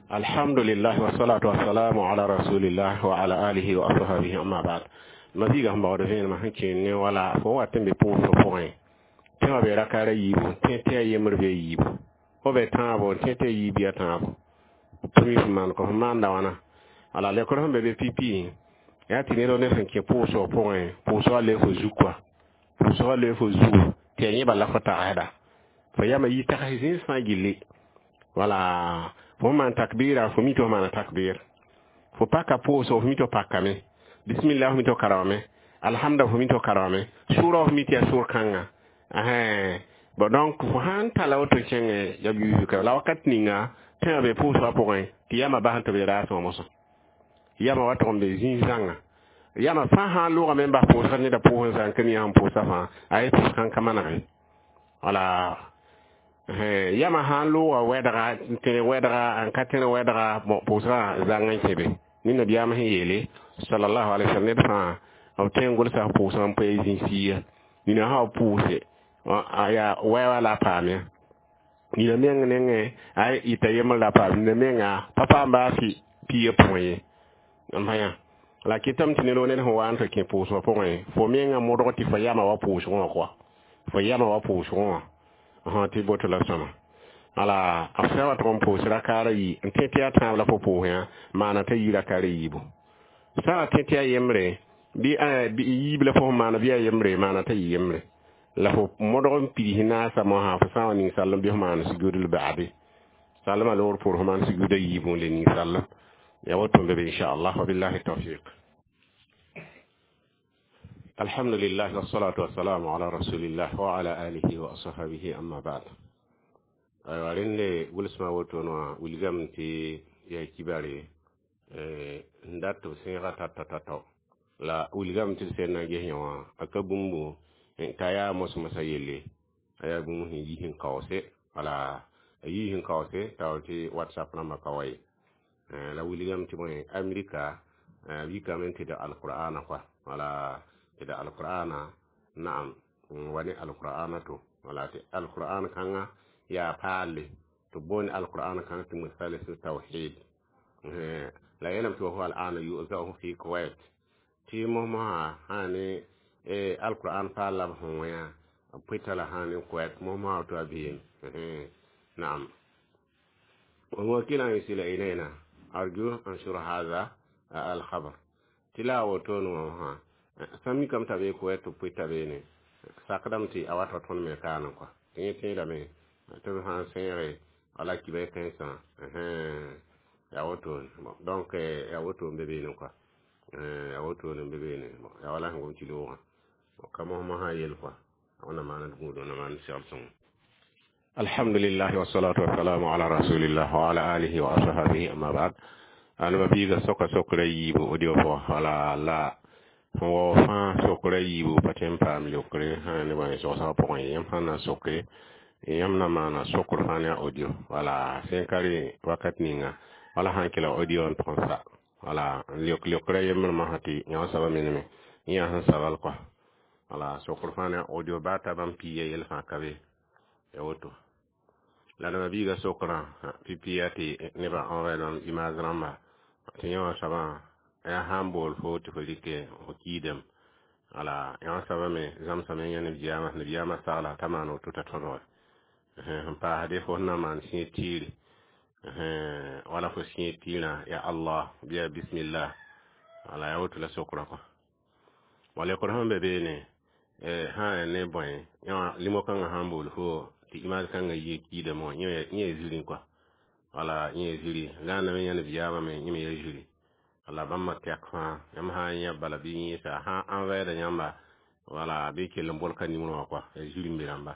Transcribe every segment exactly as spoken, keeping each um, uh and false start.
Alhamdulillah, wassalatu wassalamu ala rasulillah wa ala alihi wa ashabihi, amma ba'd. Ma biiga sẽn baood vẽenemã sẽn kẽer ne wala fo wat n be pʋʋsg pʋgẽ, tẽ wã be rakaara yiibu, tẽ tɩ a yembr be yiibu, fo be tãabo, tẽ tɩ a yiib yaa tãabo, tɩ mi fo maan kõ fo maanda wãna. Wala lekr sẽn be be pipi yaa tɩ ned ned sẽn kẽ pʋʋsg pʋgẽ, pʋʋsgã le fo zu kɔa, pʋʋsgã le fo zugu tɩ a yẽba la fo tagsda fo yama yi tags zĩis fãa gilli. Wala fo maan takbira, fo mi tɩ fo maana takbir, fo paka pʋʋsg, fo mi tɩ fo pakame, bismillah fo mi tɩ fo karengame, alhamda fo mi tɩ fo karengame, sʋra fo mi tɩ yaa sʋr kãnga. Bon, donc fo sãn tala woto kẽngẽ ya yuuka la wakat ninga tẽ wã be pʋʋsgã pʋgẽ tɩ yama bas tɩ b raasẽ wã mosã yama wa tʋg n be zĩig zãnga yama fãa sãn loogame n bas pʋʋsga neda pʋʋs n zãng ka mi sẽn pʋʋsa fãa a ye pʋʋs kãn ka manege. Wala yama sãn looga wɛdga n tẽrg wɛdga n ka tẽrg wɛdga, bon, pʋʋsgã zãng n kẽ be ne nabiyaam sẽn yeele sallallahu alaihi wasallam ned fãa b tõe n gʋlsa pʋʋsgã n poe zĩ-siya nina sã b pʋʋse yaa wɛ la a paam ya nina meng nengẽ a ɩta yembr la a paam nina menga pa paam baa fɩ piigã pʋgẽ ye n pa yã. La kɩtame tɩ ned wo ned sẽn wa n tɩ kẽ pʋʋsgã pʋgẽ, fo menga modg tɩ fo yama wa pʋʋsgẽ wã kɔa, fo yama wa pʋʋsgẽ wã tɩ boto la sõma. Wala b sã wa tʋg n pʋʋs rakaara yi n tẽ tɩ yaa tãab la fo pʋʋs yã maana t'a yi rakaara yiibu, sã wa tẽ tɩ yaa yembre bɩ yiib la fo sẽn maana bɩ yaa yembre maana t'a yɩ yembre la fo modg n pids naasa mosã fo sã n wa ning sallem bɩ fo maan sugudl baade sallmã loogr poor fo maan suguda yiibu n le ning sallem ya woto n be be, inchallah. Wa billahi tawfiq. Alhamdulillah, wassalatu wassalamu ala rasulillah wa ala alihi wa ashabihi, amma ba'd. Aywa, rẽnde gʋlsmã wotone wã wilgame tɩ yaa kibare n dat tɩ b sẽega tata tao la wilgame tɩ d sẽn na n ges yã wã a ka bũmbu t'a yaa mos-mosã yelle, a yaa bũmb sẽn yi sẽn kaoose. Wala a yi sẽn kaoose taoor tɩ WhatsApp rãmbã ka wa ye la wilgame tɩ bõe Amerika b yikame tɩ d alqur'ana kɔa, wala tɩ d alqur'ana naam n wa ne alqur'ana to wala tɩ alqur'an kãngã yaa paalle tɩ b boond alqur'an kãng tɩ musalis tawhid la yeelame tɩ wa huwa al'ana yu'za'u fi Kuwait tɩ mos-mosã sã ne alqur'an paal la b sẽn wẽ b pʋɩta la sã ne Kuwait mos-mosã tɩ a beem naam. وموكلا يرسل إلينا أرجو أنشر هذا الخبر tɩ la a wotone wã sã mikame t'a bee Kuwait tɩ b pʋɩta beene sakdame tɩ a wata tõnd me kaane kɔa tɩ yẽ tẽedame tɩ b sãn sẽege wala kiba kãensã yaa wotone. Donc yaa woto n be beene kɔa, yaa wotone n be beene, yaa wala sẽn gom tɩ loogã ka mos-mosã yel kɔa wẽnnaam maan d gũud, wẽnnaam maan d segl sõngo. Alhamdulillah, wassalatu wassalamu ala rasulillah wa ala alihi wa ashabihi, amma ba'd. Alma biiga soka sokra yiibu audio pʋgã wala la sẽn wao fãa sokra yiibu pa tõe n paam leokre sã ne bõe sogsgã pʋgẽ. Yãmb sãn na n soke, yãmb na maana sokr fãa ne a audio wala sẽn ka rẽ wakat ninga wala sãn kelg audio n tʋg n sa wala n leok leokra yembr masã tɩ yã soabã meneme yã sẽn sabl kɔa wala sokr fãa ne a audio baa ta bãmb piiga yell fãa ka be ya woto. La nema biiga sokrã pipi yaa tɩ nebã envoyer bãmb image rãmba tɩ yã wã soabã yaa sã n bool fo tɩ fo rɩke fo kiidame. Wala yã wã soabã me zãmsame yã nabiyaamã nabiyaamã sagla t'a maan woto t'a tõdge sẽn paasde fo sẽn na n maan sẽed tiire wala fo sẽed tiirã ya Allah bɩ ya bismillah. Wala yaa woto la sokrã kɔ wala lekr sẽn be beene sã n yaa ne bõe yã limo kãngã sã n bool fo tɩ image kãngã yɩ kiidame wã yẽ yaa zirẽ kɔa, wala yẽ yaa ziri gãandame yã nabiyaamã me yẽ me yaa ziri. Wala bãmba tɛk fãa yãmb sã n yã bala bɩ yẽesa sã n envoyer yãmba wala bɩ kell n bol ka nimr wã kɔa yaa ziri n be rãmba.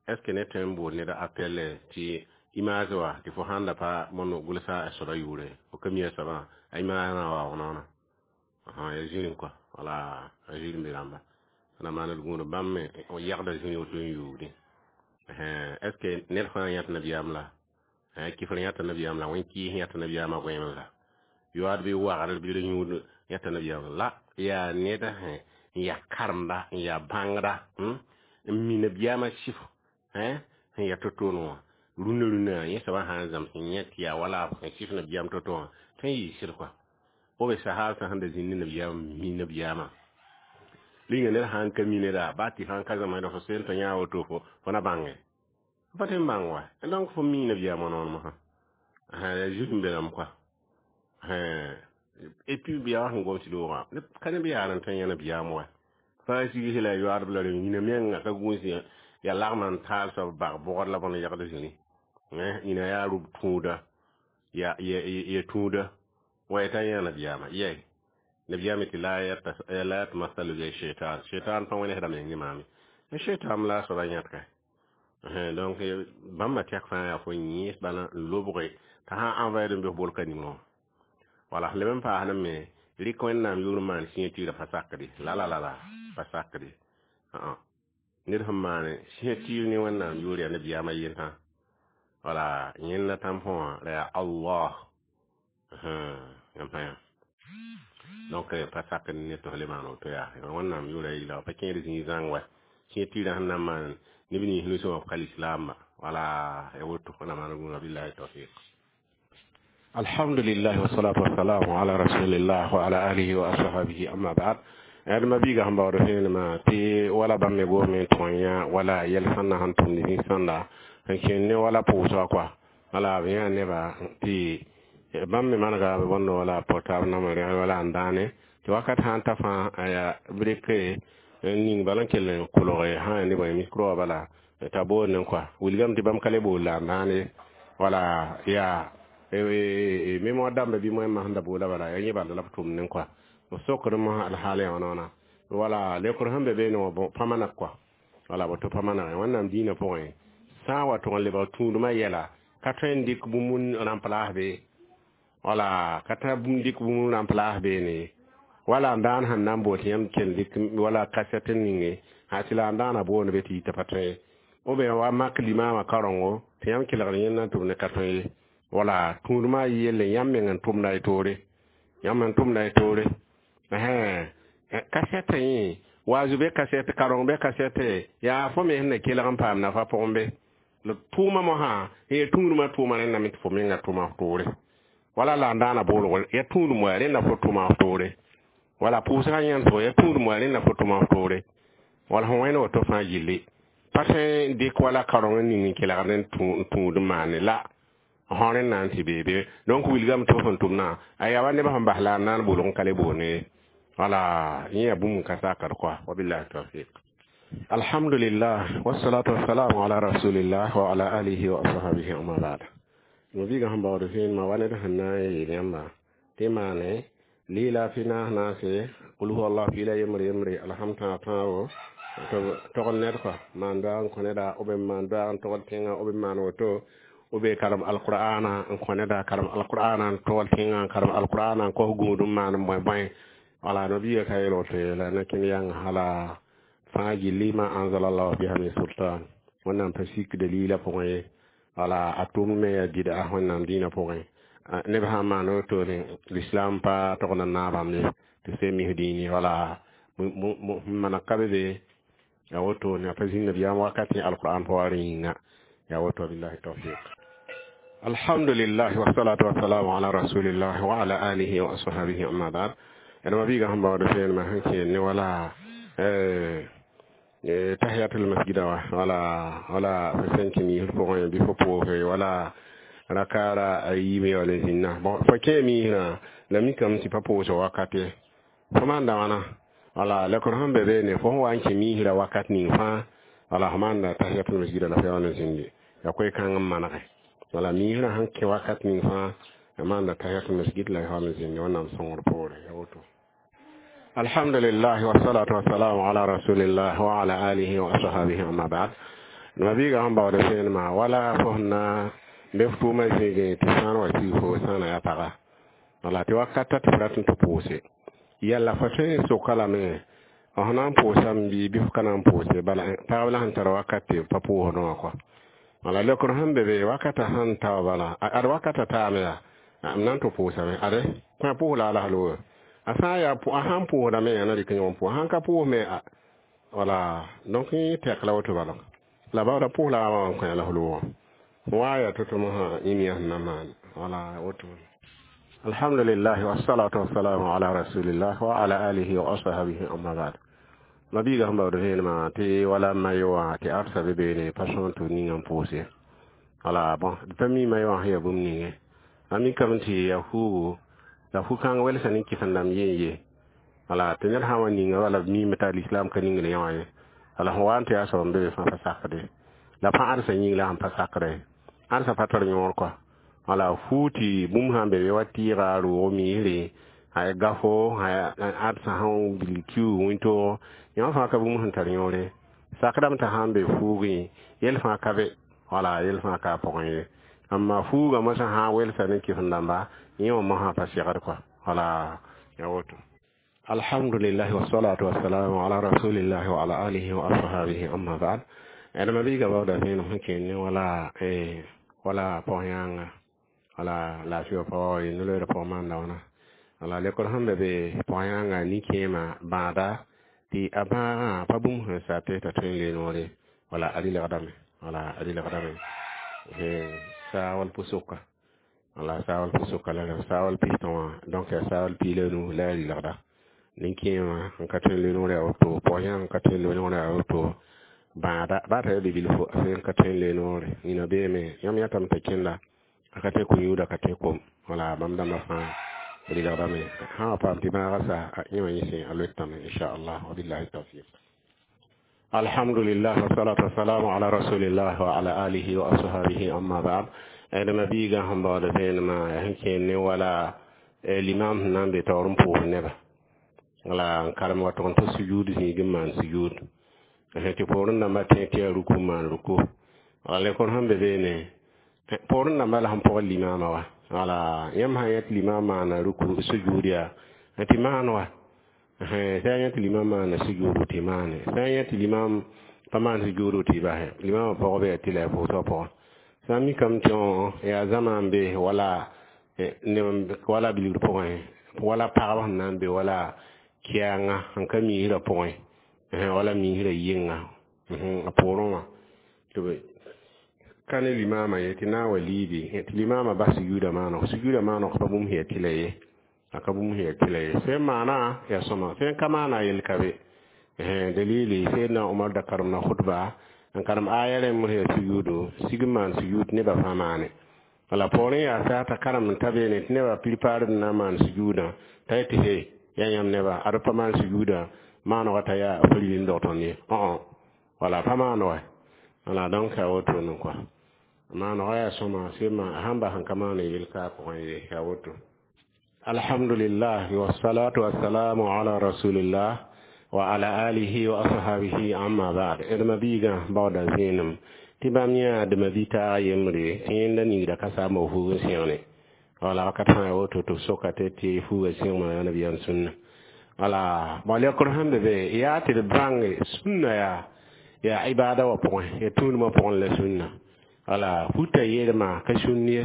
Est ce que ne tõe n bool ned appel tɩ image wa tɩ fo sãn da pa mõnd gʋlsa a soaba yʋʋre, fo ka mi a soabã a image rã waoog noona yaa zirẽ kɔa, wala a ziri n be rãmba na maan d gũud bãmb me yɛgda zĩri woto n yuugdẽ. Est ce que ned fãa yãt nabiyaam la kifr yãta nabiyaam la wẽn kɩɩs yãta nabiyaamã goẽem la yoaad bɩ wagr bɩ d yũud yãta nabiyaam la yaa ned n yaa karemba n yaa bãngda n mi nabiyaamã sɩf sẽn yaa to-toone wã Rũndã rũndã yẽ soabã sã n zãms n yẽ tɩ yaa wala b sẽn kɩs nabiyaam to-to wã tõe n yɩɩ sɩd kɔa b sahab sã sẽn da zĩnd ne nabiyaam mi nabiyaamã rĩnga ned sã n ka mi neda baa tɩ sã n ka zãmsda fo sen tɩ yã woto fo fo na bãnge pa tõe n bãng wa donc fo mi nabiyaamã noor mosã yaa zut n be rãmb kɔa et puis yaa wa sẽn gom tɩ loogã ka neb yaar n tõe n yã nabiyaam wa fãa sigse la yoaadb la rẽ yĩna menga ka gũus yaa lagma n taal soab bag bʋgd la bõn yagd zĩni yĩna yaa rʋb tũuda ya ya tũuda wa t'a yã nabiyaamã yɛi nabiyaam tɩ la yatamasalu bi shaitan shaitan pa wẽnesda meng ne maame shaitan la a soaba yãt ka donc bãmba tɛk fãa yaa fo yẽes bala n lobge t'a sã n envoyer n bɩ f bolka nimrã wã wala leb n paasd me rɩk wẽnnaam yʋʋr n maan signature pa sakde la la la la pa sakde ned sẽn maan signature ne wẽnnaam yʋʋr yaa nabiyaamã yentã wala yẽnda tãmpõ wã la yaa allah yãmb yã donc pa sakd ne tɩ f le maan woto yaa wẽnnaam yʋʋra yɩla pa kẽed zĩig zãng wa signature sẽn na n maan neb nins nusẽ wã f ka lislaamba wala ya woto wẽnnaam maan gũuda billahi tawfiq alhamdulillah wassalatu wassalamu ala rasulillah wa ala alihi wa ashabihi amma ba'd ad ma biiga sẽn baood vẽenemã tɩ wala bãmb me goame n tõe yã wala yɛl sãnda sẽn tʋmd zĩ-sãnda n kẽnd ne wala pʋʋsga kɔa wala b yã neba tɩ bãmb me manega b bõnd wala portable namr wala n dãane tɩ wakat sã n ta fãa aya b rɩke n ning bala n kell n kolge sã ya ne bõe micro wã bala t'a boond n kɔa wilgame tɩ bãmb ka le bool la n dãane wala yaa mémoire dãmba bɩ moẽmã sẽn da boola bala yaa yẽ bala la b tʋmd n kɔa b sokd mosã alhaal yã wãna wala lekr sẽn be beene wã pa maneg kɔa wala woto pa maneg wẽnnaam dĩinã pʋgẽ sã n wa tʋg n lebg tũudmã yɛla ka tõe n dɩk bũmb n rãmplaas be wala ka tã bũmb dɩk bũmb n rãmplaas beene wala n daan sẽn na n bool tɩ yãmb kell dɩk wala kasɛt n ninge sã tɩ la n daana boond be tɩ yita pa tõe ou bien wa mak limaamã karengo tɩ yãmb kelgd yẽnda n tʋm ne ka tõe ye wala tũudmã yelle yãmb meng n tʋmda y toore yãmb n tʋmda y toore kasɛtã yẽ waazu be kasɛt kareng be kasɛte yaa fo me sẽn na kelg n paam nafa pʋgẽ be la tʋʋmã mosã ya tũudmã tʋʋma rẽndame tɩ fo menga tʋma f toore wala la n daana boolgo ya tũudum wa rẽnda fo tʋma f toore wala pʋʋsgã yẽntgo ya tũudum wa rẽnda fo tʋma f toore wala fõ wẽnd woto fãa gilli pa tõe n dɩk wala kareng n ning n kelgd n tũud n maane la fõ rẽnd na n tɩ beebe donc wilgame tɩ f sẽn tʋmdã a yaa wa nebã sẽn bas la n na n bolg n ka le boone wala yẽ yaa bũmb n ka sakd kɔa wabillahi tawfiq alhamdulillah wassalatu wassalamu ala rasulillah wa ala alihi wa ashabihi amma ba'd no biiga sẽn baood vẽenemã wa ned sẽn na n yeel yãmba tɩ maane lila fi naas naase qul huwa allah piila yembre yembre alham tãag tãabo tɩ togd ned kɔa maan doaag n kõ neda b n maan doaag n togd tẽngã b n maan woto b karem alqur'ana n kõ neda karem alqur'ana n togl tẽngã n karem alqur'ana n kos gũud n maan n bõe bõe wala no biiga ka yeel woto la na kẽnd yãng hala fãa gilli ma anzalallahu biha min sultan wẽnnaam pa sik dalila pʋgẽ ye wala a tʋm me yaa bɩda wẽnnaam dĩinã pʋgẽ neb sã n maan wotone l'islam pa togd n naag bãmb ye tɩ se mis dĩini wala maneg ka be be ya wotone a pa zĩnd nabiyaam wakat yẽ alqur'an pa wa rẽ yĩnga ya woto billahi tawfiq alhamdulillah wassalatu wassalamu ala rasulillah wa ala alihi wa ashabihi amma ba'd ẽdma biiga sẽn baood vẽenemã sẽn kẽen ne wala tahiyatul masjida wa wala wala fo sẽn kẽ miisr pʋgẽ bɩ fo pʋʋse wala rakara a yiime wala zĩnna bon fo kẽ miisrã la mikame tɩ pa pʋʋsg wakat ye fo maanda wãna wala lekr sẽn be beene fo sẽn wa n kẽ miisrã wakat ning fãa wala fo maanda tahiyatul masjida la fo yaool n zĩndi yaa koe-kãng n manege wala miisrã sẽn kẽ wakat ning fãa ya maanda tahiyatul masjid la yaool n zĩndi wẽnnaam sõngr poore ya woto alhamdulillah wassalatu wassalamu ala rasulillah wa ala alihi wa ashabihi amma ba'd ma biiga sẽn baood vẽenemã wala fo sẽn na n be f tʋʋmã zĩigẽ tɩ sãan wa sig fo sãana yaa paga wala tɩ wakata tɩ f rat n tɩ pʋʋse yɛla fo tõe n soka lame f na n pʋʋsame bɩ bɩ f ka na n pʋʋse bala pagb la sẽn tar wakat tɩ pa pʋʋsdẽ wã kɔa wala lekr sẽn be be wakata sẽn ta wa bala ad wakata taame yaa m na n tɩ pʋʋsame ade kõ pʋʋs la a lasl a sã n yaa a sãn pʋʋsdame yaa na rɩk yõ n pʋʋs sãn ka pʋʋs me wala donc yẽ tɛk la woto bala la baooda pʋʋs la a wã n kõ a lasl wã Wa ya to-to mosã yĩm yaa sẽn na maan wala woto. Alhamdulillah, wassalatu wassalamu ala rasulillah wa ala alihi wa ashabihi, amma ba'd. Mabiiga sẽn baood vẽenemã tɩ wala mayo wã tɩ arsa be beene pa sõn tɩ ninga n pʋʋse. Wala bõn d pa mi mayo wã sẽn yaa bũmb ninge. A mikame tɩ yaa fuugu la fu-kãng welsa ne kɩsem-dãmb yen ye. Wala tɩ ned sã n wa ninga wala b miime t'a l'islam ka ningd yã wã ye. Wala sẽn wa n tɩ yaa soab n be be fãa pa sakde la pa ãdsa yĩng la sẽn pa sakdɛ ãdsa pa tar yõor kɔa. Wala fuu tɩ bũmb sã n be be wa tɩɩga roog miisre a gafo ãdsa sẽn bil kiuug wĩntoog yõ fãa ka bũmb sẽn tar yõore sakdame t'a sã n be fuugẽ yell fãa ka be wala yell fãa ka a pʋgẽ ye. Amma fuugã mosã sã n welsa ne kɩsem-dãmba yẽ wã mosã pa segd kɔa. Wala ya woto. Alhamdulillah, wassalatu wassalamu ala rasulillah wa ala alihi wa ashabihi, amma ba'd. Adama biiga baooda vẽenem sẽn kẽnd ne wala wala pɔg-yãanga wala laafɩ pa wa no-loeerã pʋgẽ maanda wãna. Wala lekr sẽn be be pɔg-yãanga nin-kẽemã bãada tɩ a bãagã pa bũmb sẽn sa tɩ t'a tõe n le noore wala a rɩlgdame wala a rɩlgdame saawal pʋ-soka wala saawal pʋ-soka la saawal pistã wã donc yaa saawal piig la nu la a rɩlgda nin-kẽemã n ka tõe n le noor yaa woto pɔg-yãang n ka tõe n le noor yaa woto bãada baa t'a yaa bi-bilfo a sẽn ka tõe n le noore nina beeme yãmb yãtame t'a kẽnda a ka tõe ko-yũuda ka tõe kom wala bãmb dãmbã fãa rɩlgdame sã wa paam tɩ bãagã sa yẽ wã yẽ sẽ a loetame inchallah. Wabillahi tawfiq. Alhamdulillah, wassalatu wassalamu ala rasulillah wa ala alihi wa ashabihi, amma ba'd. Adama biiga sẽn baood vẽenemã yaa sẽn kẽer ne wala limam sẽn na n be taoor n pʋʋs neba wala n karem wa tʋg n tɩ sujuud zĩig n maan sujuud tɩ poorẽ dãmbã tẽ tɩ yaa ruku n maan ruku. Wala lekor sẽn be beene poorẽ dãmbã la sẽn pʋgẽ limaamã wa wala yãmb sã yã tɩ limam maana ruku sujuud yaa tɩ maan wa sã n yã tɩ limam maana sujuudu tɩ maane sã n yã tɩ limam pa maan sujuudu tɩ basɛ limamã pɔgb yaa tɩ la yaa pʋʋsgã pʋgẽ sã n mikame tɩ yaa zãma n be wala wala bilgr pʋgẽ wala pagb sẽn na n be wala kɛɛngã sẽn ka miisrã pʋgẽ wala miisrã yɩnga a poorẽ wã tɩ b ka ne limaamã ye tɩ na n wa liibi tɩ limaamã bas sujuudã maaneg sujuudã maaneg pa bũmb sẽn yaa tɩla ye a ka bũmb sẽn yaa tɩla ye sẽn maana yaa sõma sẽn ka maana yel ka be dalili Seydna Omar da karemda khutba n karem aya rẽmb sẽn yaa sujuudu sig n maan sujuud nebã fãa maane wala poorẽ yaa sa t'a karem n ta beene tɩ nebã prepare d na n maan sujuudã t'a yetɩ he yaa yãmb nebã ad pa maan sujuudã maanegã t'a yaa pa rɩ n dog tõnd ye wala pa maan wa wala donc a wotone kɔa maanegã yaa sõma sẽn sãn bas n ka maan yel ka a pʋgẽ ye yaa woto. Alhamdulillah, wassalatu wassalamu ala rasulillah wa ala alihi wa ashabihi, amma ba'd. D mabiigã baooda zẽenem tɩ bãmb yã dma bi-taag yembre tɩ yẽnda ningda ka saamba fuug n sẽgne wala wakat fãa ya woto tɩ b soka tɩ tɩ fuugã sẽgma yaa nabiyaam sũnna wala bõ lekr sẽn be be yaa tɩ d bãnge sũnna yaa yaa ibada wã pʋgẽ ya tũudmã pʋgẽ la sũnna wala futa yelma ka sũnn ye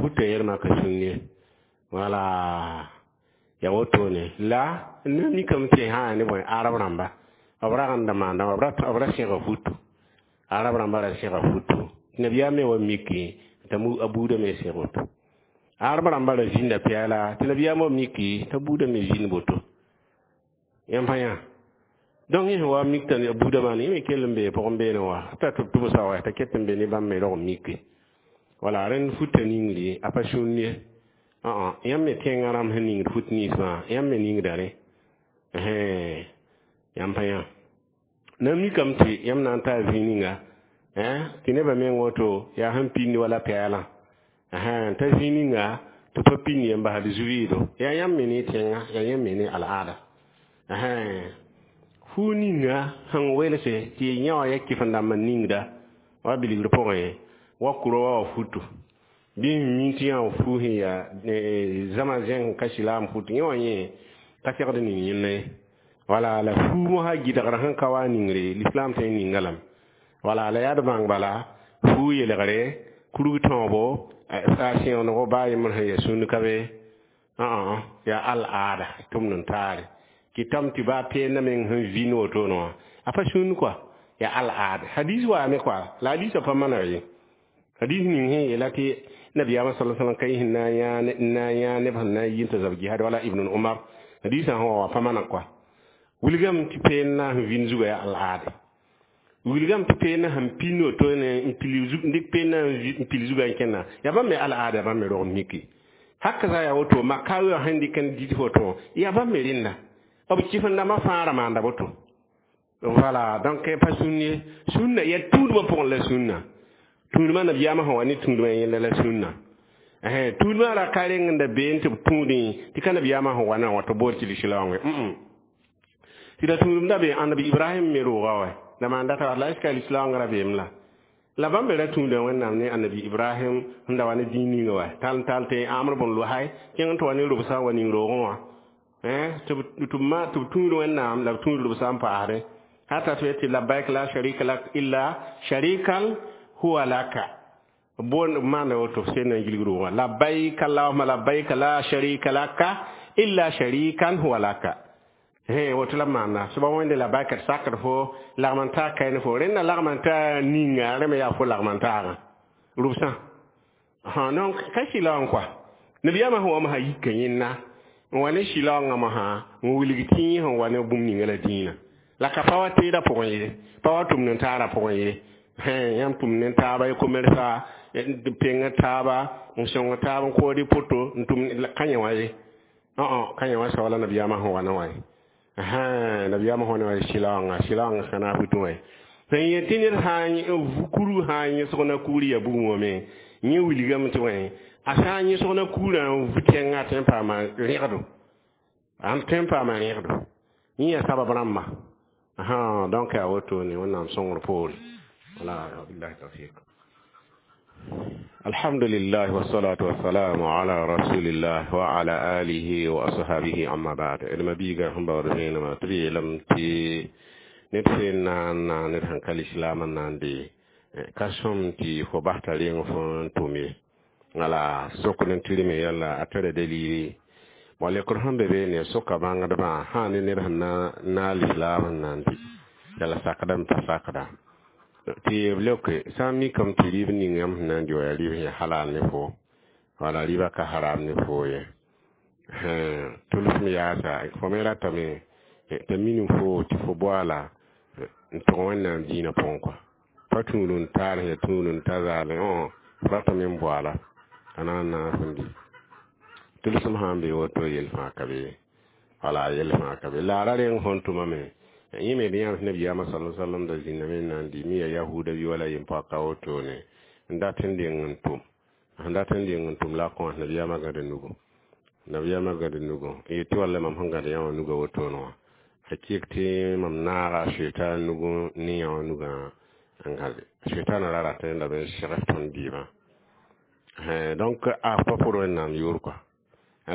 futa yelma ka sũnn ye wala ya wotone la ne mikame tɩ sã ne bõe arab rãmba b rag n da maanda b ra sẽga futu arab rãmba ra sẽga futu nabiyaam me wa miki t'a a buudã me sẽg woto arab rãmba ra zĩnda pɛɛla tɩ nabiyaam wa miki t'a buudã me zĩnd boto yãmb pa yã donc yẽ sẽn wa mik t'a buudã maan yẽ me kell n bee pʋgẽ beene wa t'a tɩ tʋbsa wa t'a ket n be ne bãmb me rog n mike wala rẽnd futa ningri a pa sũnd ye yãmb me tẽngã rãmb sẽn ningd fut nins fãa yãmb me ningda rẽ yãmb pa yã na mikame tɩ yãmb na n taa zĩig ninga tɩ nebã meng woto yaa sẽn pĩnd wala pɛɛlã t'a zĩig ninga tɩ pa pĩnd yẽ n basd zu-vɩɩdo yaa yãmb me ne tẽngã yaa yãmb me ne al'aada fuu ninga sẽn welse tɩ yã wã ya kɩf-n-dãmb n ningda wa bilgr pʋgẽ wa kurɔ wa wa futu bɩ n mi tɩ yã wã fuu sẽn yaa zãma zẽng ka silaam futu yẽ wã yẽ ka segd ning yẽnda ye wala la fuu mosã gɩdgr sẽn ka wa ningre l'islam tõe n ninga lame wala la yaa d bãng bala fuu yeelgre kurg tõobo a sẽonego baa yembr sẽn yaa sũnd ka be yaa al-aada tʋmd n taare kɩtame tɩ baa peendã meng sẽn vĩnd wotone wã a pa sũnd kɔa yaa al-aada hadis waame kɔa la hadisã pa maneg ye. Hadis ning sẽn yeela tɩ nabiyaamã sala sallam ka yĩs na n yã na n yã neb sẽn na n yi n tɩ zab jihad wala Ibn Umar hadisã sẽn wa wã pa maneg kɔa. Wilgame tɩ peend na sẽn vĩnd zugã yaa al-aade. Wilgame tɩ peend sẽn pinn woto ne n pil zug dɩk peend na n pil zugã n kẽnna yaa bãmb me al-aada, bãmb me rog miki haka za yaa woto makawi wã sẽn dɩk n dɩt woto yaa bãmb me rẽnda b kɩf-n-dãmbã fãa ra maanda woto. Voilà, donc pa sũnn ye, sũnna yaa tũudmã pʋgẽ la sũnna tũudmã nabiyaamã sẽn wa ne tũudmã yẽnda la sũnna. Tũudmã ra ka reng n da been tɩ b tũudẽ tɩ ka nabiyaamã sẽn wa na wã tɩ bool tɩ lislaoongẽ tɩ la tũudem da be annabi Ibrahim me rooga wa la maan data la est-ce que lislaoongã ra beem la la bãmb me ra tũuda Wẽnnaam ne annabi Ibrahim sẽn da wa ne dĩin ninga wa tall tall tɩ Amr bn Luhay kẽng n tɩ wa ne robsã wa ning roogẽ wã tɩ b tũud Wẽnnaam la b tũud robsã n paasdẽ hata tɩ tɩ labbaik la sharika lak illa sharikan huwa laka bon maanda woto sẽn na n gilg roogã labbaik allahuma labbaik la sharika laka illa sharikan huwa laka. He woto la maanda soaba wẽnde labbaik d sakd fo lagm n taa kayn fo rẽnda lagm n taa ninga rẽ me yaa fo lagm n taagã rʋbsã. Donc ka sɩlaoong kɔa nabiyaamã sẽn wa mosã yika yẽnda n wa ne sɩlaoongã mosã n wilg tɩ yẽ sẽn wa ne bũmb ninga la dĩinã la ka pa wa teedã pʋgẽ ye, pa wa tʋmd n taarã pʋgẽ ye. Yãmb tʋmd ne taaba y komersa peng taaba n sõng taab n kood y poto n tʋm ka yẽ wã ye, ka yẽ wã soaba la nabiyaamã sẽn wa ne wã ye. Nabiyaamã sẽn wa ne wã sɩlaoongã sɩlaoongã ka naas pʋtẽ wã sẽn yet tɩ ned sã n kurg sã n yẽsg na kugr ya bugum wã me yẽ wilgame tɩ wẽ a sã n yẽsg na kugrã n vu tẽngã tõe n paama rẽgdo, n tõe n paama rẽgdo yẽ yaa sabab rãmba. Donc yaa wotone Wẽnnaam sõngr poore. Wala billahi tawfiq. Alhamdulillah wassalatu wassalamu ala rasulillah wa ala alihi wa ashabihi, amma ba'd. D mabiiga sẽn baood vẽenemã tɩ b yeelame tɩ ned sẽn na n na ned sẽn ka lislaam n na n dee ka sõm tɩ fo bas t'a reng fo n tʋm ye wala sokd n tɩrme yalla a tara dalili bõ lekr sẽn be beene soka bãngdbã sã ne ned sẽn na na lislaam n na n dɩ yala sakdame pa sakda tɩ b leoke sã n mikame tɩ rɩɩb ning yãmb sẽn na n dɩ wa yaa rɩɩb sẽn ya halal ne fo wala rɩɩbã ka haram ne fo ye tʋlsem yaasa fo me ratame t'a minim fo tɩ fo boala n tʋg Wẽnnaam dĩinã pʋgẽ kɔa pa tũud n taar sẽn ya tũud n ta zaalẽ fo ratame n boala a na n naas n dɩ tʋlsem sã n be woto yel fãa ka be wala yel fãa ka be la a ra reng fõn tʋmame yẽ me d yãms nabiyaamã sala sallam da zĩnname n na n dɩ mi ya yahuda bɩ wala yem-poaka wotone n dat n deng n tʋm sẽn dat n deng n tʋm la a kõs nabiyaamã gãd nugu nabiyaamã gãd nugu n yetɩ walla mam sẽn gãd yã wã nuga wotone wã a kɩk tɩ mam naaga shɛtan nugu ne yã wã nugã n gãde shɛtãnã ra rat n lame n segs tõnd dɩɩmã. Donc a pa pʋd Wẽnnaam yʋʋr kɔa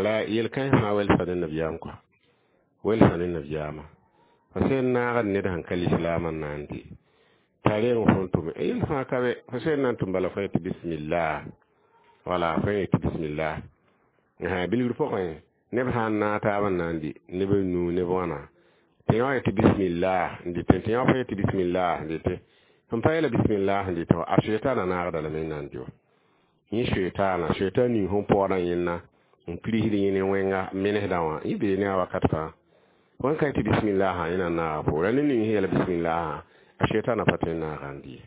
la yel-kãens fãa welsa ne nabiyaam kɔa welsa ne nabiyaamã fo sẽn naagd ned sẽn ka lislaamã n na n dɩ t'a reng fõn tʋme yel fãa ka be fo sẽn na n tʋm bala fo yetɩ bismillah wala fo yetɩ bismillah bilgr pʋgẽ neb sã n naag taab n na n dɩ neb n nuu neb wãna tɩ yã yetɩ bismillah n dɩtẽ tɩ yã fo yetɩ bismillah n dɩtẽ sẽn pa yeela bismillah n dɩtẽ a shɛtaanã naagda lame n na n dɩ wa yẽ shɛtaana shɛtaan ning sẽn paoodã yẽnna n pirsd yẽ ne wẽnga menesdã wã yẽ bee ne a wakat fãa wãn ka tɩ bismillah yẽ na n naaga poora ne ning sẽn yeela bismillah a shɛtaanã pa tõe n naaga n dɩ ye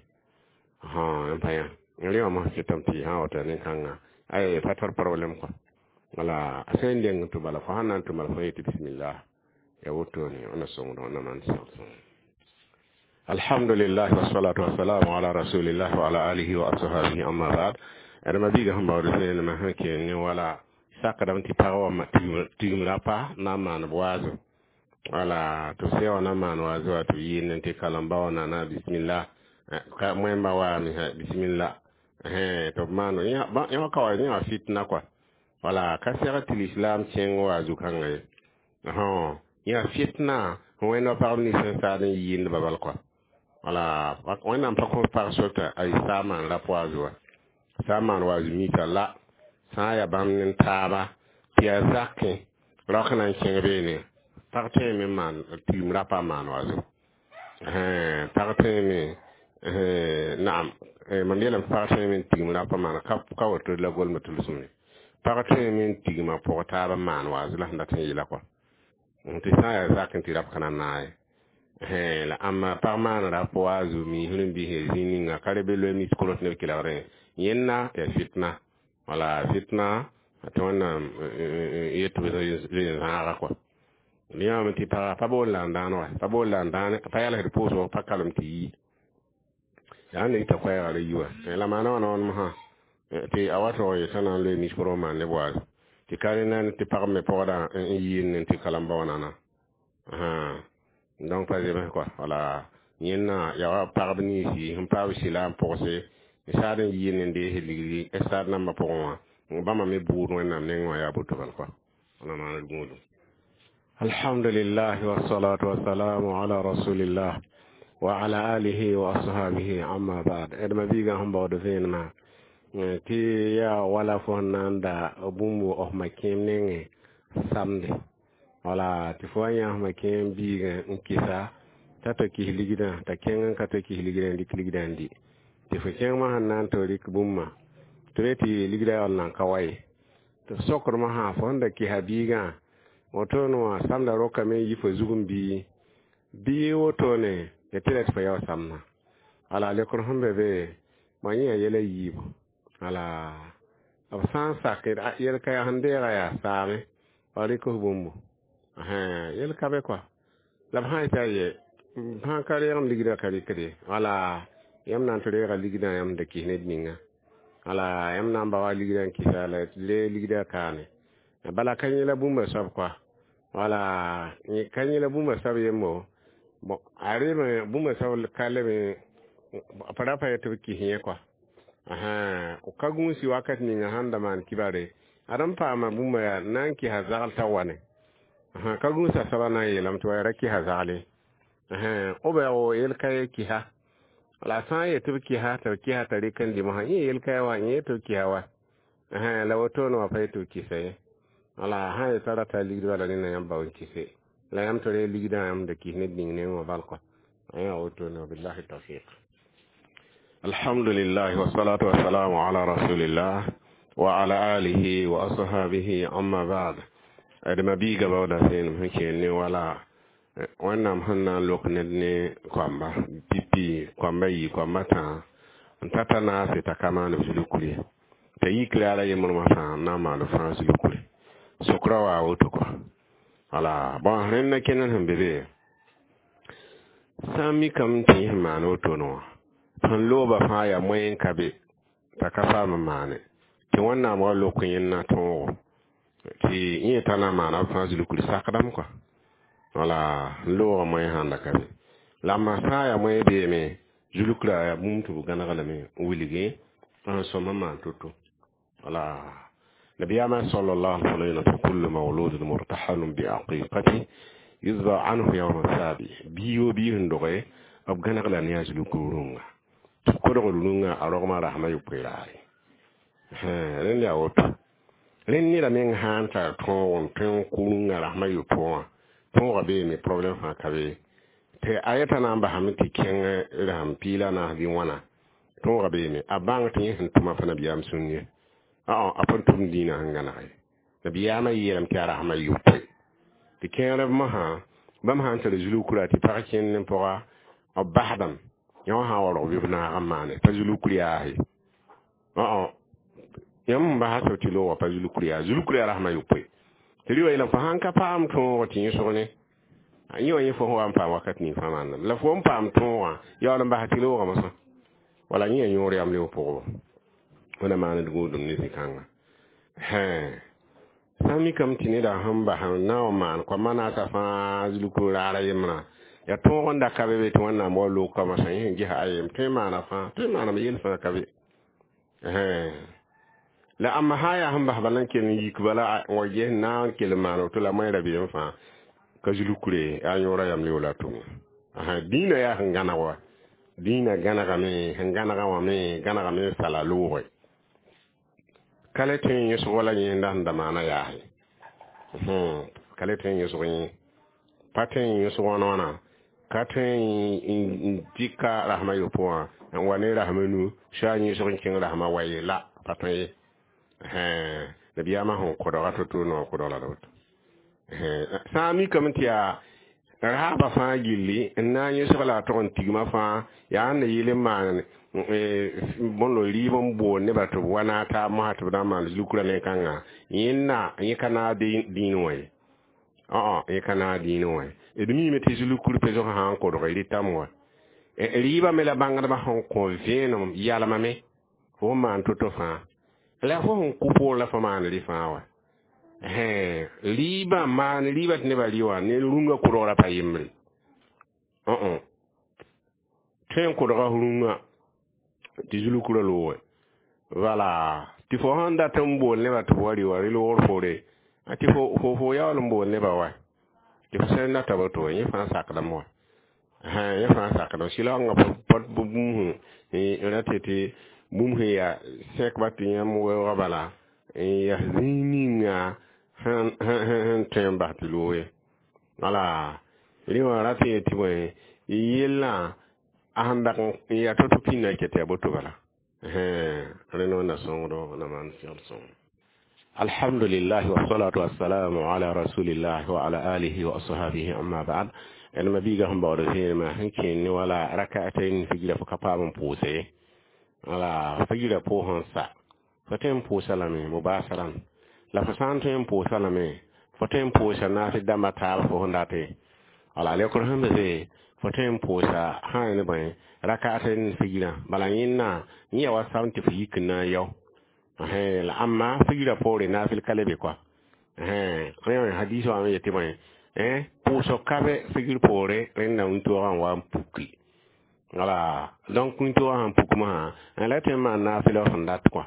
n pa yã n rẽ wã mos kɩtame tɩ sã wata nin-kãngã ay pa tar problème quoi. Wala a sẽn deng tɩ bala fo sãn na n tʋm bala fo yetɩ bismillah ya wotone wẽnna sõngd wẽnna maan sõng. Alhamdulillah wassalatu wassalamu ala rasulillah wa ala alihi wa ashabihi, amma ba'd. D mabiiga sẽn baood vẽenemã sẽn keng ne wala sakdame tɩ pag wã tigim ra pa na n maan b waazo wala tɩ b sɛ wã na n maan waazo wa tɩ b yɩɩnd tɩ kalem-ba wã nana bismillah moẽmbã waame bismillah tɩ b maan yẽ wã ka wa yẽ wã fitna kɔa wala ka sɛg tɩ lislaam kẽng wa zu-kãngã ye yã fitna wẽnd wa pagb nins sẽn saad n yɩɩndba bal kɔa wala Wẽnnaam pa kõ pag sor t'a saa maan rap waazo wa sã n maan waazo mita la sã n yaa bãmb ne taaba tɩ yaa zakẽ raok na n kẽng beene pag tõeme n maan tigim rapa n maan waazo pag tõeme Naam, mam yeelame pag tõeme n tigim rap n maan ka woto la golmã tʋlsem ye. Pag tõeme n tigma pʋg taab n maan waas la sẽn dat n yeela kɔa tɩ sã n yaa zak n tɩ rap ka na n naag ye. La ãmba pag maan rap wa a zu miisr n bisẽ zĩ ninga ka re be loe mis koros neb kelgdẽ yẽnna yaa fitna, wala fitna tɩ Wẽnnaam yet tɩ b zãaga kɔa. Yãame tɩ paga pa bool la n dãan wa, pa bool la n dãane, pa yalsd pʋʋsg, pa kalem tɩ yi yaa n ita koɛɛga ra yi wa. La maana wãna wãn mosã tɩ a wa tog yetã na n loe mis korg n maan neb waas tɩ ka rẽ na tɩ pag me pɔgdã n yiin tɩ kalam ba wãnana. Donc pa zems kɔa, wala yẽnna yaa wa pagb ninsi sẽn paam sɩla n pʋgse n saad n yiin n dees ligdi stade nambã pʋgẽ wã, bãmba me buud Wẽnnaam nengẽ wã yaa boto bal kɔa. Wãna maaned gũudum. Alhamdulillah, wassalatu wassalamu ala rasulillah wa ala alihi wa ashabihi, amma ba'd. D ma-biigã sẽn baood vẽenemã tɩ yaa wala fo sẽn na n da bũmb f ma-kẽem nengẽ samde, wala tɩ fo wa yã f ma-kẽem biigã n kɩsa t'a ta kis ligdã, t'a kẽng n ka ta kis ligdã n dɩk ligdã n dɩ, tɩ fo kẽngmã sẽn na n tɩ rɩk bũmba tɩ re tɩ ligdã yaool nan ka wa ye, tɩ f sokdmã sã fo sẽn da kɩsa biigã wotone wã samda rokame n yi fo zug n bii bii wotone ya tɩ ra tɩ fo yao samdã. Wala lekr sẽn be be bõ yẽ yaa yɛla yiibu. Wala b sã n sak yel ka yaa sẽn deega yaa saame wa rɩk f bũmbu yel ka be kɔa, la b sã n yetɩ a ye sã ka reegem ligdã ka rɩkde, wala yãmb na n tɩ reega ligdã yãmb da kis ned ninga, wala yãmb na n ba wa ligdã n kɩsa la le ligdã kaane bala ka yẽla bũmba soab kɔa, wala ka yẽla bũmba soab yembo bon a reme bũmba soab ka leme pa ra pa yetɩ b kis yẽ kɔa ka gũusi wakat ninga sãn da maan kibare ad n paama bũmba yaa na n kɩsa zagl t'a wane ka gũusa soaba na n yeelame tɩ wa ra kɩsa zagle b yel ka ye kɩsa. La sã n yetɩ b kɩsa tɩ b kɩsa t'a rɩk n dɩ mosã yẽ yel ka ye wa yẽ tɩ b kɩsa wa la wotone wã pa yetɩ b kɩsa ye. Wala sã n yetã rata ligd bala nena yãmb bao n kɩse la yãmb tɩ reeg ligdã yãmb da kis ned ning neng wã bal kɔa yaa wotone. Wabillahi tawfiq. Alhamdulillah, wassalatu wassalamu ala rasulillah wa ala alihi wa ashabihi, amma ba'd. D ma-biiga baooda seenem sẽn keel ne wala Wẽnnaam sẽn na n lok ned ne koamba pipi, koamba yi, koamba tãa n ta ta naase t'a ka maan b zulukr ye, t'a yik raara yembrmã fãa n na n maan b fãa zulukre sokra waa woto kɔa. Wala bõn rẽnda kẽnd sẽn be be sã n mikame tɩ yẽ sẽn maan wotone wã sẽn looba fãa yaa moyen ka be t'a ka paam n maane tɩ Wẽnnaam wa lok yẽnna tõogo tɩ yẽ t'a na n maana b fãa zulukr sakdame kɔa. Wala n loogã moyen sãn da ka be la ma sã n yaa moyen beeme zulukrã yaa bũmb tɩ b gãneg lame n wilgi n sõm n maan to-to. Wala nabiyaamã sallallahu alaihi wa sallam: kullu mawludin murtahanun bi aqiqati yuzba anhu yawma sabi. Biyo bi sẽn doge b gãneg la ne a zulukr rũnga tɩ kodgr rũngã a rogmã rasmã yopoe raare. Rẽnd yaa woto rẽnd neda meng sã n tar tõog n tõe n kʋ rũngã rasmã yopoe wã tõogã beeme problème fãa ka be tɩ a yeta na n basame tɩ kẽng rasem piig la a naas bɩ wãna tõogã beeme a bãng tɩ yẽ sẽn tʋma pa nabiyaam sũn ye, a pa tʋm dĩinã sẽn gãneg ye. Nabiyaamã yeelame tɩ a rasmã yopoe tɩ kẽerb mosã bãmb sã n tar zulukra tɩ pag kẽnd n pʋga b basdame yã wã sã n wa rog bɩ b naag n maane pa zulukr yaase yãmb n basa tɩ loogã pa zulukr yaa zulukr yaa rasmã yopoe tɩ rɩ wa yeelame fo sãn ka paam tõog tɩ yẽsg ne yẽ wã yẽ fo sẽn wa n paam wakat ning fãa maanname la fo n paam tõogã yaool n basa tɩ loogã mosã wala yẽ yaa yõor yam leb pʋgba wẽna maaned gũudum ne zĩ-kãnga. Sã n mikame tɩ neda sẽn bas n na n maan koamã naasã fãa zulukr raara yembrã yaa tõog n da ka be be tɩ Wẽnnaam wa loog koamã sã yẽ sẽn gesa a yem tõe n maana fãa tõe n maaname yel fãa ka be. La ãmba sã n yaa sẽn bas bala n kell n yik bala n wa ges n na n kell n maan woto la moẽ rabeem fãa ka zulukre yaa yõora yam leo la tʋm dĩinã yaa sẽn gãneg wa dĩinã gãnegame sẽn gãnegã wã me gãnegame n sala looge ka le tõe n yõsg wala yẽnda sẽn da maana yaase ka le tõe n yõsg yẽ pa tõe n yõsg wãna wãna Ka tõe n dɩka rasmã yopoe wã n wa ne rasmã nu soa yẽsg n kẽng rasmã wa ye la pa tõe ye. Nabiyaamã sẽn kodga to-to noor kodg la woto. Sã n mikame tɩ yaa raaba fãa gilli n na n yẽsg la a tog n tigma fãa yaa n na yɩl n maan bõndo rɩɩb n bool nebã tɩ b wa naag taab mosã tɩ b na n maan zulkurã ne kãngã yẽnna yẽ ka naag dĩinẽ wã ye. Ã yẽ ka naag dĩinẽ wã ye. D miime tɩ zulkur pesg sã n kodg rɩtame wa. Rɩɩbã me la bãngdbã sẽn kõ vẽenem yalmame fo n maan to-to fãa la fo sẽn kʋ poor la fo maan rɩ fãa wa. Rɩɩbã maan rɩɩbã tɩ nebã rɩ wã ne rũngã kodgrã pa yembre. Tõe n kodga rũngã tɩ zulkurã looge wala tɩ fo sẽn dat n bool nebã tɩ b wa rɩ wã rɩ-loogr poore tɩ fo fo yaool n bool nebã wa tɩ fo sẽn data woto yẽ fãa sakdame wa. Yẽ fãa sakdame sɩlaoongã bũmb sẽn ra tɩ tɩ bũmb sẽn yaa sẽkba tɩ yãmb weoogã bala n yaa zĩig ninga sẽn tõe n bas tɩ looge wala rẽ wã rat n yetɩ bõe yellã a sẽn dag n yaa to-to pĩndã n ket tɩ yaa boto bala. Rẽ wẽnna sõngdo na maan segl sõng. Alhamdulillah wassalatu wassalamu ala rasulillah wa ala alihi wa ashabihi amma ba'd. D ma biiga sẽn baood vẽenemã sẽn kẽen ne wala rakatayn figra fo ka paam n pʋʋse ye. Wala figra pʋʋsẽ n sa fo tõe n pʋʋsa lame mubasaran la fo sã n tõe n pʋʋsa lame fo tõe n pʋʋsa naasɩ dãmbã taab fo sẽn date. Wala lekr sẽn be fo tõe n pʋʋsa sã ne bõe rakatayn figrã bala yẽnna yẽ yaa wa sam tɩ fo yik n na n yao. La ãmma figrã poore naafɩl ka le be koa. Rẽ hadis wã me yetɩ bõe pʋʋsg ka be figr poore rẽnda wĩntoogã n wa n puki. Wala donc wĩntoogã sẽn puk mosã la tõe n maan naafɩl sẽn dat kɔa.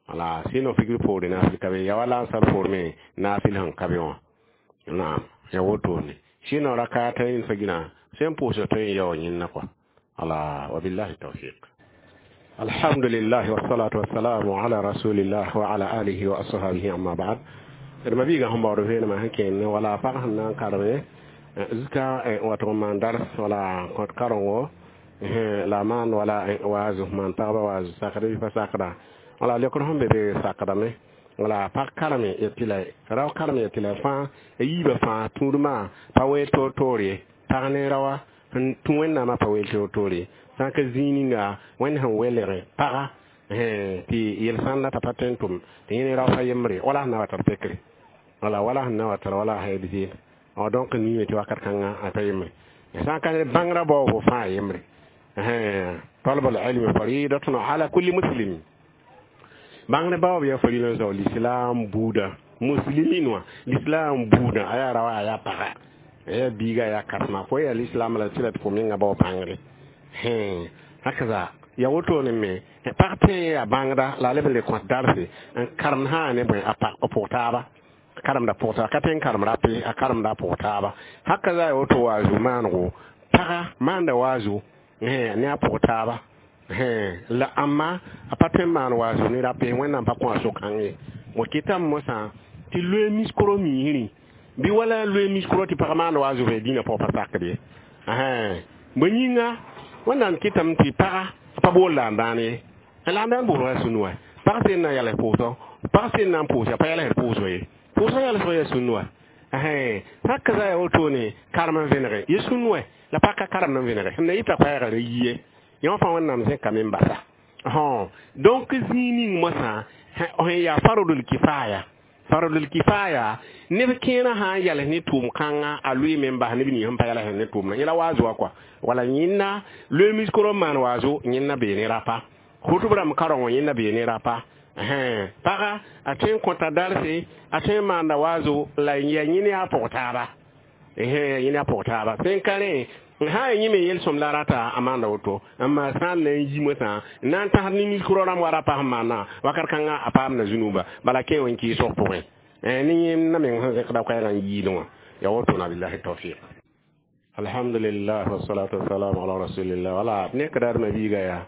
Wala sɩno figr poore naafɩl ka be ya wa lansar poor me naafɩl sẽn ka be wã. Naam ya wotone sɩno rakatayn figrã sẽn pʋʋsg tõe n yao yẽnna kɔa. Wala wabillahi tawfiq. Alhamdulillah wassalatu wassalamu ala rasulillah wa ala alihi wa ashabihi amma ba'd. D ma biiga sẽn baood vẽenemã sẽn kẽen ne wala pag sẽn na n kareme zika wat n maan dars wala kõt karengo la maan wala waazu maan pagba waazu sakd bɩ pa sakda wala lekr sẽn be be sakdame wala pag kareme yetɩ la rao karem yetɩ la fãa a yiibã fãa tũudmã pa weel toor-toor ye pag ne raoa sẽn tũ wẽnnaamã pa weel toor-toor ye sã n ka zĩig ninga wẽnd sẽn welgẽ paga tɩ yel-sãnda t'a pa tõe n tʋm tɩ yẽ ne rao pa yembre wala sẽn na wa tar pekre wala wala sẽn na wa tar wala a hayd zeel donc niime tɩ wakat kãngã a pa yembre sã n ka bãngrã baoobo fãa yembre. Talab al-ilm faridatun ala kulli muslim bãngr baoob yaa farila zao l'islam buuda muslimin wã l'islam buuda a yaa raoa a yaa paga a yaa biiga a yaa kãsema fo yaa l'islam la tɩ la tɩ fo menga bao bãngre. Hakaza ya wotone me pag tõe yaa bãngda la a leb n le kõt darse n karemd sã ne bõe a pʋg taaba karemda pʋg taaba ka tõe n karem rape a karemda a pʋg taaba hakaza ya woto waazu maanego paga maanda waazu ne a pʋg taaba la ãmba a pa tõe n maan waazu ne rape wẽnnaam pa kõ a so-kãng ye. Wa kɩtame mosã tɩ loe miskoro miisrẽ bɩ wala loe miskoro tɩ pag maand waazu bɩ dĩnã pʋgã pa sakd ye. Bõe yĩnga wẽnnaam kɩtame tɩ paga pa bool la n dãan ye la n dãan boolga yaa sũnu wa pag sẽn na n yals pʋʋsg pag sẽn na n pʋʋsa pa yalsd pʋʋsg ye pʋʋsg yalsg yaa sũnu wa. Hakaza yaa wotone karem n vẽnege ye sũnu wa la pag ka karemd n vẽnege sẽn na yɩta koɛɛga ra yi ye yõ fãa wẽnnaam zẽkame n basa. Donc zĩig ning mosã sẽn yaa farodl kifaya farodl kifaya neb kẽerã sã n yals ne tʋʋm kãngã a loeeme n bas neb nins sẽn pa yals ne tʋʋmdã yẽla waazu wã kɔa wala yẽnna loe miskoro n maan waazu yẽnna bee ne rapa hʋtb rãmb karengo yẽnna bee ne rapa. Paga a tõe n kõta darse a tõe n maanda waazu la yaa yẽ ne a pʋg taaba yẽ ne a pʋg taaba sẽn ka rẽ sã n yẽ me yel-sõm la rata a maanda woto n maa sã n na n yi mosã n na n tãsd ne miskoro rãmb wa rapa sẽn maana wakat kãngã a paamda zũnuba bala kẽ wẽn kɩɩsg pʋgẽ ne yẽmdã meng sẽn zẽkda koɛɛgã n yiilẽ wã ya wotona billahi tawfiq. Alhamdulillah wassalatu wassalamu ala rasulillah wala ne ka dar ma biiga yaa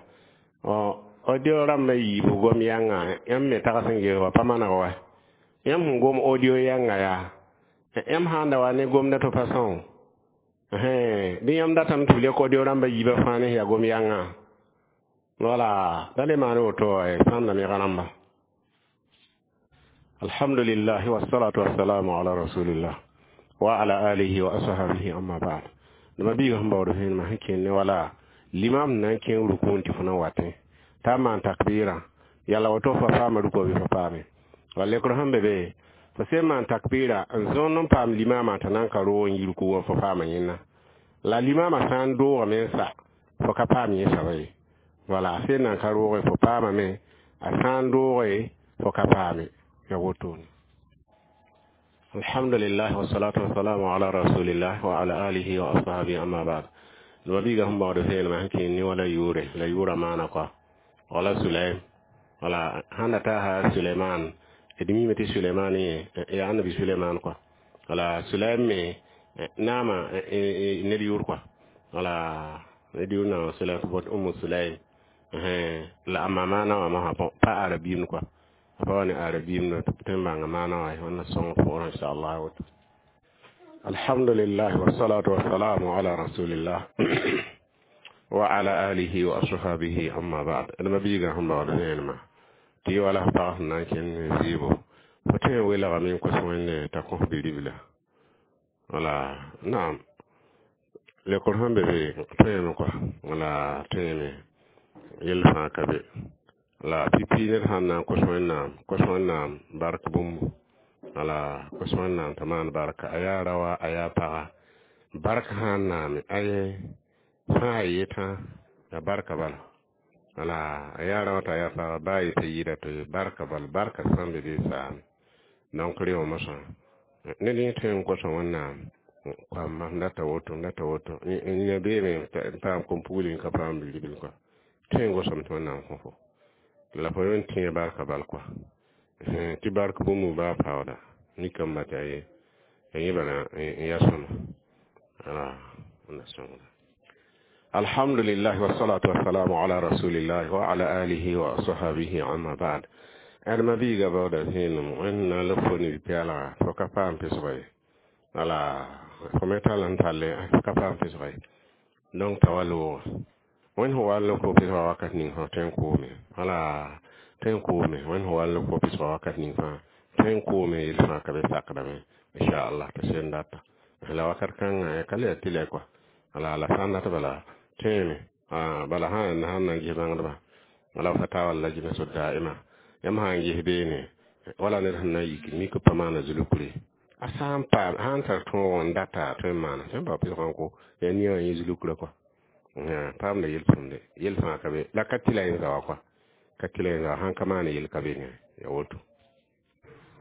audio rãmbã yiibu gom yãnga yãmb me tags n ges wa pa maneg wa yãmb sẽn gom audio yãnga yaa yãmb sãn da wa ne gomda tɩ pa sõo Bɩ yãmb datame tɩ b le kao rãmbã yiibã fãa ne yaa gom-yãngã wala da le maan woto sãamda nega rãmba. Alhamdulillah wassalatu wassalamu ala rasulillah wa ala alihi wa ashabihi, amma ba'd. Dama biiga sẽn baood vẽenemã sẽn kẽnd ne wala limam na n kẽng rukun tɩ fo na watẽ t'a maan takbɩrã yala woto fa paama rukɔ bɩ fa paame wala lekr sẽn be be fo sẽn maan takbɩra n zõnd n paam limamã t'a nan ka roog n yi ruku wã fo paama yẽnna la limamã sã n doogame n sa fo ka paam yẽ soaba ye wala a sẽn nan ka rooge fo paamame a sã n dooge fo ka paame ya wotone. Alhamdulillah wassalatu wassalamu ala rasulillah wa ala alihi wa ashabihi, amma ba'd. Nima biiga sẽn baood vẽenemã sẽn kẽnd ne wala yʋʋre la yʋʋra maana kɔa wala Sulaim wala sãn da taasa Suleiman d miime tɩ Suleiman yaa annabi Suleiman kɔa wala Sulaim me naama ned yʋʋr kɔa wala ned yʋʋr na Sulaim bot Umu Sulaim la a maana wã mosã bõ pa arabiimd kɔa a pa wa ne arabiimd tɩ n bãnga maana wã wẽnna sõng pʋgrã inchallah woto. Alhamdulillah wassalatu wassalamu ala rasulillah wa ala alihi wa ashabihi, amma ba'd. Dama biiga sẽn baood vẽenemã tɩ y wala f pag sẽn na n kẽnd zɩɩbo fo tõe n welgame n kos Wẽnde t'a kõ bi-ribla wala naam lekr sẽn be be tõeme kɔa wala tõeme yell fãa ka be la pipi ned sãn na n kos Wẽnnaam kos Wẽnnaam bark bũmbu wala kos Wẽnnaam t'a maan barka a yaa raoa a yaa paga bark sã n naame aye fãa yetã ya barka bala wala a yaa raoã t'a yaa paga baa yetã yɩɩda tɩ barka bal barka sãn be bee saame donc rẽ wã mosã ned yẽ tõe n kosa Wẽnnaam koamma n data woto n data woto yã beeme n paam kom-pugl n ka paam bi-ribl kɔa tõe n gosame tɩ Wẽnnaam kõ fo la fo yõn tẽe barka bal kɔa tɩ bark bũmb baa paooda nikame tɩ aye yẽ bala n ya sõma wala wẽnna sõngda. Alhamdulillah wassalatu wassalamu ala rasulillah wa ala alihi wa ashabihi, amma ba'd. Ãdema biiga baooda vẽenem Wẽnna la fo ne bi-pɛɛlga fo ka paam pesga ye wala fo me tall n talle fo ka paam pesga ye donc t'a wa loogã Wẽnd sẽn wa n fo pesga wakat ning fãa tõe n koome wala tõe n koome Wẽnd sẽn wa n fo pesga wakat ning fãa tõe n koome yel fãa ka be sakdame inchallah tɩ sẽn data la wakat kãngã ka le ya tɩ lɛ kɔa wala la sã n dat bala tõeme bala sã sãn na n ges bãngdbã wala fatawa lajna daima yãmb sã n ges beene wala ned sẽn na n yik mik pa maana zulukre a sã n paam sã n tar tõog n data tõe n maana tõe n bao pesgã n ko yaa nia wã yẽ zulukrã kɔa paamda yel-tʋmde yel fãa ka be la ka tɩ la yẽ zawa kɔa ka tɩ la yẽ zawa sãn ka maana yel ka be ne ya woto.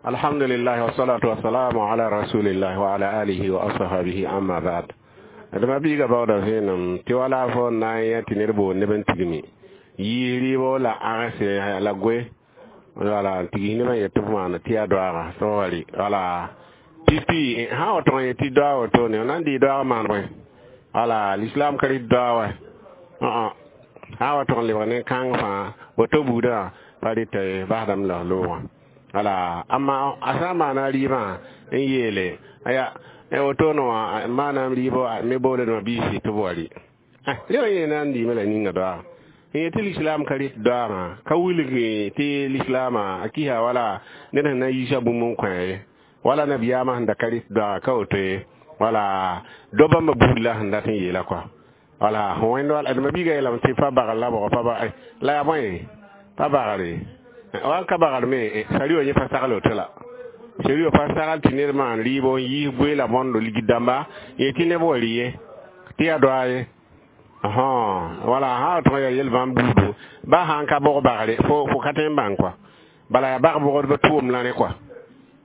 Alhamdulillah wassalatu wassalamu ala rasulillah wa ala alihi wa ashabihi, amma ba'd. Dama biiga baooda vẽenem tɩ wala fo n na n yã tɩ ned boond neb n tigmi yɩɩs rɩɩbo la ãgse la goe wala n tigis nebã yet tɩ b maana tɩ yaa doaaga tɩ wa rɩ wala pipi sã wa tõg n yet tɩ doaag wotone na n dɩɩ doaag maan bõe wala l'islam ka rɩt doaag wa sã wa tõg n lebg ne kãng fãa woto buudã pa rɩta ye basdame la loogã wala amma a sã n maana rɩɩbã n yeele aya wotone wã maanaam rɩɩbɔ me boolame biisi tɩ b wa rɩ rẽ wã yẽ na n dɩɩme la ninga doaaga n yetɩ l'islam ka rɩt doaagã ka wilg tɩ l'islaamã a kisa wala ned sẽn na n yiisa bũmb n kõ ye wala nabiyaamã sẽn da ka rɩt doaaga ka woto ye wala do bãmba buud la sẽn dat n yeela kɔa wala wẽnd wala d ma-biiga yeelame tɩ pa bagr la bʋgɔ pa ba la yaa bõe pa bagre wa n ka bagr me sari wã yẽ pa sagl woto la sari wã pa sagl tɩ ned maan rɩɩbo n yiis goe la bõndo ligd dãmba yẽ tɩ neb wa rɩ ye tɩ yaa doa ye wala sã wa tõg yaa yel bãmb buudu ba sã n ka bog bagre fo fo ka tõe n bãng kɔa bala yaa bag bogdbã tʋʋm la rẽ kɔa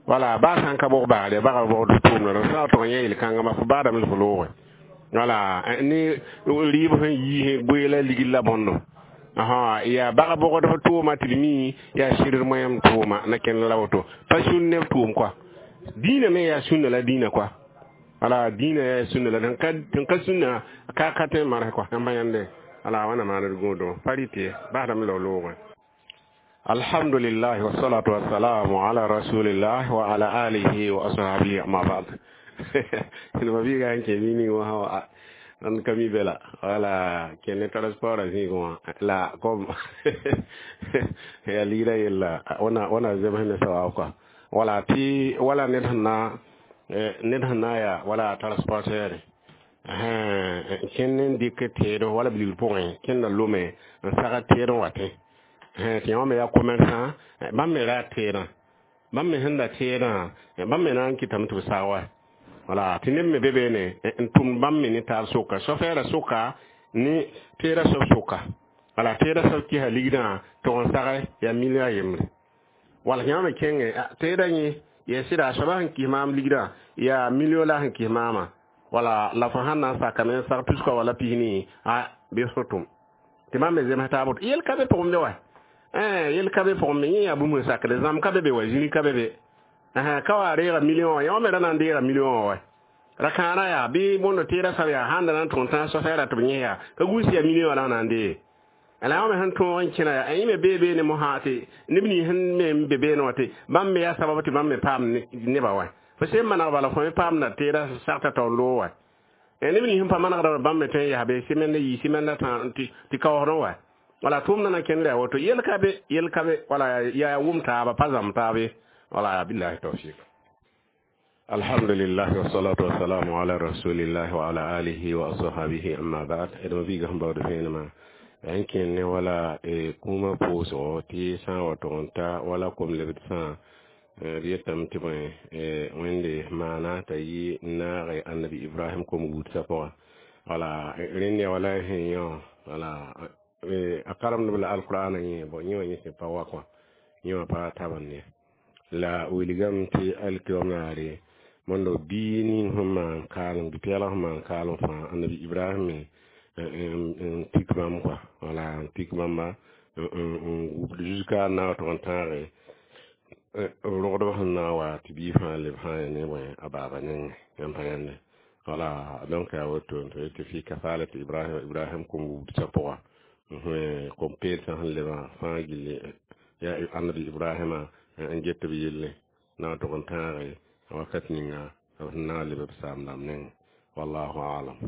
wala ba sã n ka bog bagre bag bogd tʋʋm la rẽ sã wa tõg yẽ yel-kãngã fo baadame la fo looge wala ne rɩɩb sẽn yiis goe la ligd la bõndo yaa bag bogdb tʋʋma tɩ d mi yaa sɩd moyam tʋʋma na kẽnd la woto pa sũn neb tʋʋm kɔa dĩinã me yaa sũnna la dĩinã kɔa wala dĩinã yaa sũnna la tɩn ka sũnna ka ka tõe n marsẽ kɔa yãmba yãnde wala wãna maand d gũudẽ pa rɩt ye basdame la loogẽ. Alhamdulillah wassalatu wassalamu ala rasulillah wa ala alihi wa ashabihi, amma ba'd. Ma biiga n kẽ bi ning wã n ka mi be la wala kẽne transport a zĩig wã la comme yaa ligra yella wãna wãna zems ne sawaab kɔa wala tɩ wala ned sẽn na ned sẽn na yaa wala transporteur kẽnd n dɩk teed wala bilgr pʋgẽ kẽnda lome n sagd teed n watẽ tɩ yã me yaa commerçant bãmb me ra teedã bãmb me sẽn da teedã bãmb me na n kɩtame tɩ b sag wa wala tɩ neb me be beene n tʋmd bãmb me ne taab soka sofɛɛra soka ne teedã soab soka wala teedã soab kɩsa ligdã tog n sage yaa million a yembre wala yã me kẽngẽ teedã yẽ yaa sɩda a soabã sẽn kɩs maam ligdã yaa million la sẽn kɩs maamã wala la fo sãn na n sakame n sag tuska wala pisni a bɩ fo tʋm tɩ bãmb me zems taab woto yel ka be pʋgẽ be wa yel ka be pʋgẽ me yẽ yaa bũmb n sakde zãmb ka be be wa zĩri ka be be ka wa reega million wã yõ me ra na n deega million wã wa ra kãara yaa bɩ bõndo teedã sab yaa sãn da na n tõg tãag sofɛɛra tɩ b yẽ yaa ka gũus yaa million wã la na n dee la yã me sẽn tõog n kẽna yaa yẽ me bee beene mosã tɩ neb nins sẽn me n be beene wã tɩ bãmb me yaa sabab tɩ bãmb me paam nebã wa fo sẽn maneg bala fo me paamda teedã sagta taoor loog wa neb nins sẽn pa manegda bãmb me tõe n yaa be sɩmɛnd yɩ sɩmɛnda tɩ kaoosdẽ wa wala tʋʋmdã na kẽnd yaa woto yel ka be yel ka be wala yaa wʋm taaba pa zãmb taab ye wala billahi tawfiq. Alhamdulillah wassalatu wassalamu ala rasulillah wa ala alihi wa ashabihi, amma ba'd. D biiga sẽn baood vẽenemã n kẽnd ne wala kũumã pʋʋsgo tɩ sã n wa tʋg n ta wala kom-lebd sã b yetame tɩ bõe Wẽnde maana t'a yɩ n naage annabi Ibrahim kom wudsã pʋgã wala rẽnd yaa wala sẽn yã wala a karemdb la alqur'ana yẽ bon yẽ wã yẽ sẽn pa wa kõ yẽ wã pa tabend ye la wilgame tɩ alkiom naare mondo bii ning sẽn maan kaalem bi-pɛɛlg sẽn maan kaalem fãa annabi Ibrahim me n tik bãmb kɔa wala n tik bãmba n wubd jusqu'à n na wa tʋg n tãage rogdb sẽn na n wa tɩ bii fãa leb sã n ne bõe a baaba nengẽ yãmb pa yãnde wala donc yaa woto tɩ tɩ fi kafalati Ibrahim Ibrahim kom wubdsã pʋga kom peelsã sẽn lebã fãa gilli yaa annabi Ibrahima n get b yelle na wa tʋg n tãage wakat ninga b sẽn na n leb b saam dãmb nengẽ wallahu alam.